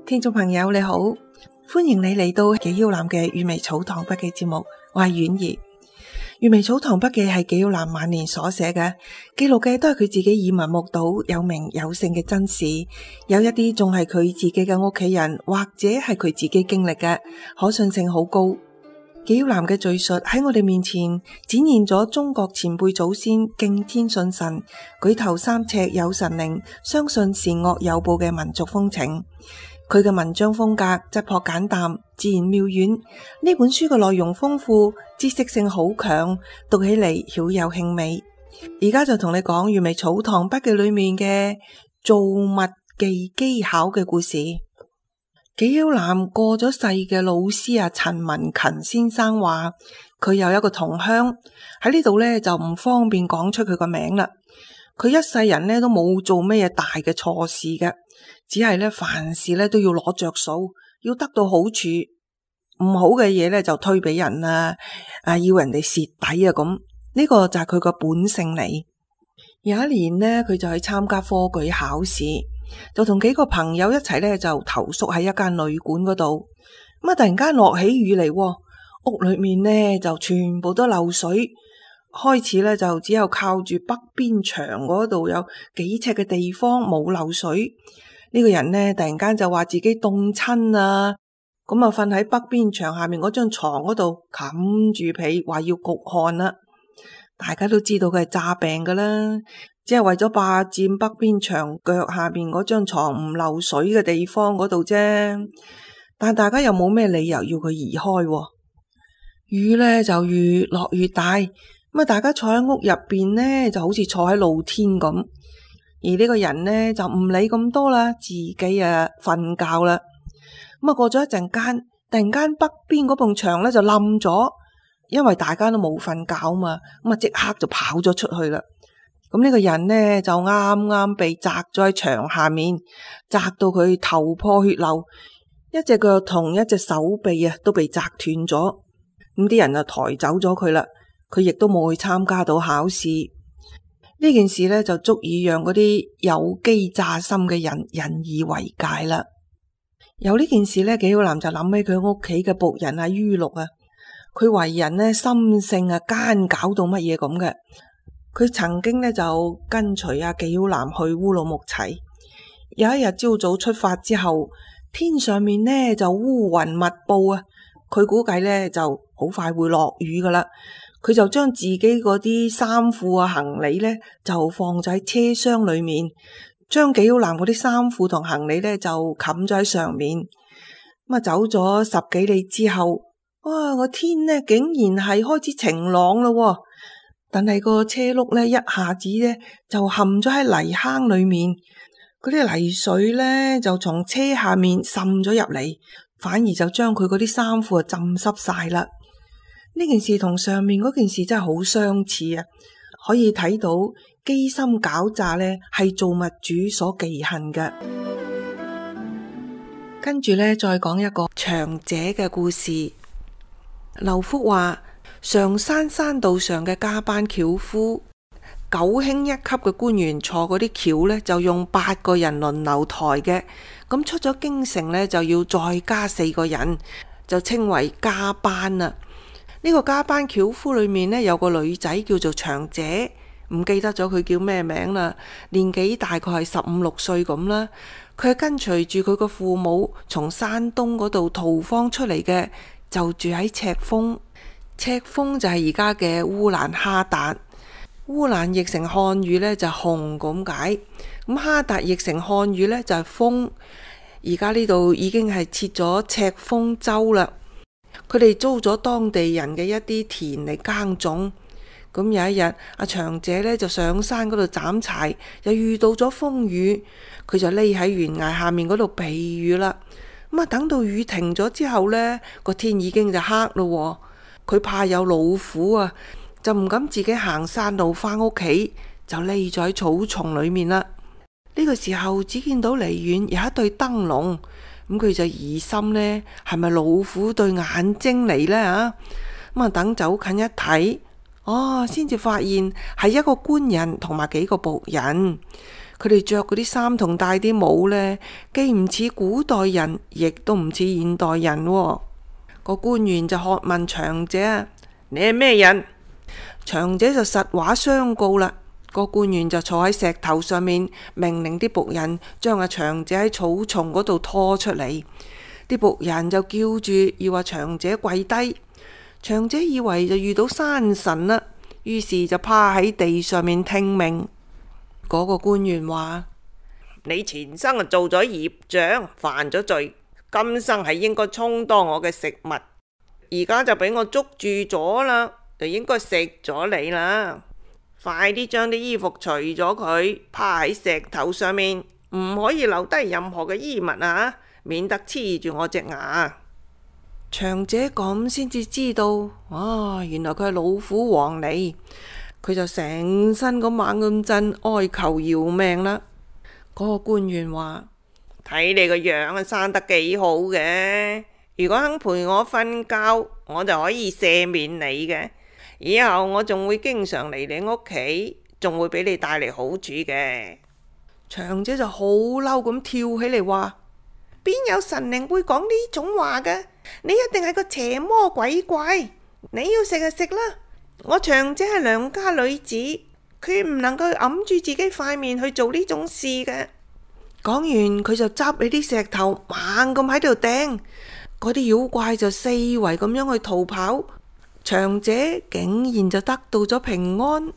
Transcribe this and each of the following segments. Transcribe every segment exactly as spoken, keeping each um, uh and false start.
聽眾朋友你好，歡迎你嚟到紀曉嵐嘅閱微草堂筆記節目，我係婉兒。閱微草堂筆記係紀曉嵐晚年所寫嘅，記錄嘅都係佢自己耳聞目睹有名有姓嘅真事，有一啲仲係佢自己嘅屋企人或者係佢自己經歷嘅，可信性好高。紀曉嵐嘅敘述喺我哋面前展現咗中國前輩祖先敬天信神、舉頭三尺有神靈、相信善惡有報嘅民族風情。佢嘅文章風格質樸簡淡、自然妙遠。呢本書嘅內容豐富，知識性好強，讀起嚟曉有興味。而家就同你講閱微草堂筆記裏面嘅造物技技巧嘅故事。紀曉嵐過咗世嘅老師啊陳文勤先生話，佢有一個同鄉喺呢度呢，就唔方便講出佢個名啦。佢一世人呢都冇做咩大嘅錯事嘅，只係呢凡事呢都要攞着數，要得到好處，唔好嘅嘢呢就推俾人啊，啊要人哋蝕底啊咁，呢、這個就係佢個本性嚟。有一年呢，佢就去參加科舉考試，就同幾個朋友一齊呢就投宿喺一間旅館嗰度。咁啊突然間落起雨嚟，屋裏面呢就全部都漏水。開始咧就只有靠住北邊牆嗰度有幾尺嘅地方冇漏水。呢個人呢突然間就話自己凍親啊，咁啊瞓喺北邊牆下面嗰張床嗰度冚住被，話要焗汗啦。大家都知道佢係詐病噶啦，只係為咗霸佔北邊牆腳下面嗰張床唔漏水嘅地方嗰度啫。但大家又冇咩理由要佢移開。雨呢就越落越大。咁啊！大家坐喺屋入邊呢，就好似坐喺露天咁。而呢個人呢，就唔理咁多啦，自己啊瞓覺啦。咁啊，過咗一陣間，突然間北邊嗰埲牆咧就冧咗，因為大家都冇瞓覺嘛。咁啊，即刻就跑咗出去啦。咁呢個人呢，就啱啱被砸咗喺牆下面，砸到佢頭破血流，一隻腳同一隻手臂啊都被砸斷咗。咁啲人就抬走咗佢啦。佢亦都冇去參加到考試。呢件事呢，就足以讓嗰啲有機詐心嘅人引以為戒啦。有呢件事呢，紀曉嵐就諗起佢屋企嘅僕人阿于六啊，佢為人呢，心性啊奸狡到乜嘢咁嘅。佢曾經呢，就跟隨阿紀曉嵐去烏魯木齊。有一日朝早出發之後，天上面呢，就烏雲密布啊，佢估計呢，就好快會落雨噶啦。佢就將自己嗰啲衫褲啊行李呢，就放咗喺車廂裏面，將紀曉嵐嗰啲衫褲同行李呢，就冚咗喺上面。咁啊走咗十幾里之後，哇個天呢竟然係開始晴朗咯，但係個車轆呢，一下子呢，就陷咗喺泥坑裏面，嗰啲泥水呢，就從車下面滲咗入嚟，反而就將佢嗰啲衫褲啊浸濕晒啦。呢件事同上面嗰件事真係好相似啊！可以睇到機心狡詐呢係造物主所忌恨嘅。跟住呢，再講一個長者嘅故事。劉福話，常山山道上嘅加班轎夫，九卿一級嘅官員坐嗰啲轎呢，就用八個人輪流抬嘅。咁出咗京城呢，就要再加四個人，就稱為加班啦。呢個加班轎夫裏面呢，有個女仔叫做長姐，唔記得咗佢叫咩名啦，年紀大概係十五六歲咁啦。佢係跟隨住佢個父母從山東嗰度逃荒出嚟嘅，就住喺赤峰。赤峰就係而家嘅烏蘭哈達。烏蘭譯成漢語呢，就紅咁解，咁哈達譯成漢語呢，就係峰。而家呢度已經係設咗赤峰州啦。佢哋租咗當地人嘅一啲田嚟耕種。咁有一日，阿長姐呢就上山嗰度斬柴，又遇到咗風雨，佢就匿喺懸崖下面嗰度避雨啦。咁啊，等到雨停咗之後呢，個天已經就黑咯。佢怕有老虎啊，就唔敢自己行山路返屋企，就匿咗喺草叢裏面啦。呢個時候，只見到離遠有一對燈籠。咁佢就疑心呢係咪老虎對眼睛嚟呢？啊？咁啊等走近一睇，哦，先至發現係一個官人同埋幾個僕人。佢哋着嗰啲衫同戴啲帽呢，既唔似古代人，亦都唔似現代人喎。個官員就喝問長者：你係咩人？長者就實話相告啦。個官員就坐喺石頭上面，命令啲僕人將阿長者喺草叢嗰度拖出嚟。啲僕人就叫住要阿長者跪低。長者以為就遇到山神啦，於是就趴喺地上面聽命。嗰個官員話：你前生啊做咗業障，犯咗罪，今生係應該充當我嘅食物，而家就俾我捉住咗啦，就應該食咗你啦。快啲將啲衣服除咗佢，趴喺石頭上面，唔可以留低任何嘅衣物啊，免得黐住我隻牙。長者咁先至知道，啊，原來佢係老虎王嚟。佢就成身咁猛咁震，哀求饒命啦。嗰個官員話：睇你個樣啊，生得幾好嘅，如果肯陪我瞓覺，我就可以赦免你嘅。以後我仲會經常嚟你屋企，仲會俾你帶嚟好處嘅。長者就好嬲咁跳起嚟話：邊有神靈會講呢種話嘅？你一定係個邪魔鬼怪，你要食就食啦。我長者係良家女子，佢唔能夠揞住自己塊面去做呢種事嘅。講完，佢就執起啲石頭猛咁喺度掟，嗰啲妖怪就四圍咁樣去逃跑，長者竟然就得到咗平安。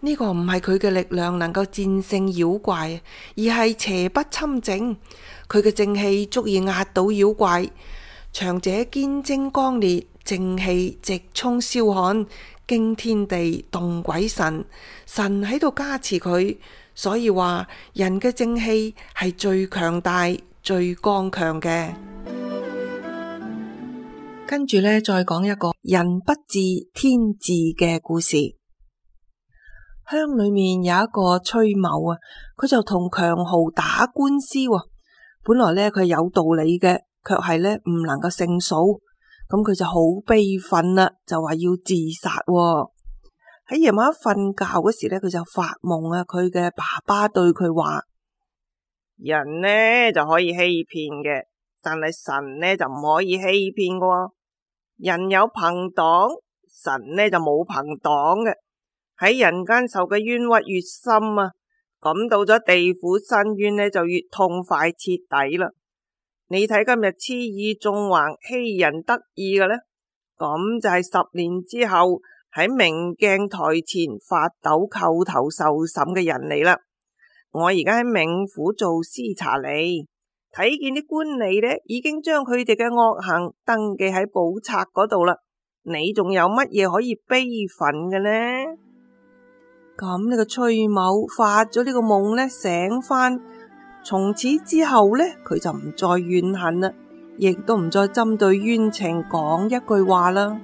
呢個唔係佢嘅力量能夠戰勝妖怪，而係邪不侵正，佢嘅正氣足以壓倒妖怪。長者堅貞剛烈，正氣直衝霄漢，驚天地動鬼神，神喺度加持佢，所以話人嘅正氣係最強大、最剛強嘅。跟住呢，再講一個人不治天治嘅故事。鄉裏面有一個崔某啊，佢就同強豪打官司喎。本來呢，佢係有道理嘅，卻係呢唔能夠勝訴。咁佢就好悲憤啦，就話要自殺喎。喺夜晚瞓覺嗰時呢，佢就發夢啊，佢嘅爸爸對佢話：人呢就可以欺騙嘅，但係神呢就唔可以欺騙嘅喎。人有朋黨，神呢就冇朋黨嘅。喺人間受嘅冤屈越深啊，咁到咗地府申冤呢就越痛快徹底啦。你睇今日雌意縱橫欺人得意嘅呢，咁就係十年之後喺明鏡台前發抖叩頭受審嘅人嚟啦。我而家喺冥府做司查吏，睇見啲官吏呢已經將佢哋嘅惡行登記喺簿冊嗰度啦。你仲有乜嘢可以悲憤嘅呢？咁呢個崔某發咗呢個夢呢，醒翻。從此之後呢，佢就唔再怨恨啦，亦都唔再針對冤情講一句話啦。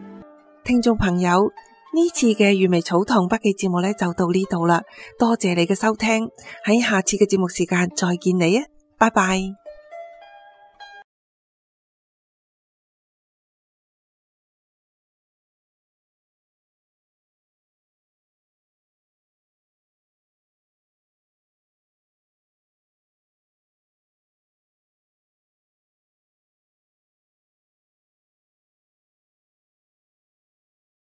聽眾朋友，呢次嘅閱微草堂筆記節目呢就到呢度啦，多謝你嘅收聽，喺下次嘅節目時間再見你啊，拜拜。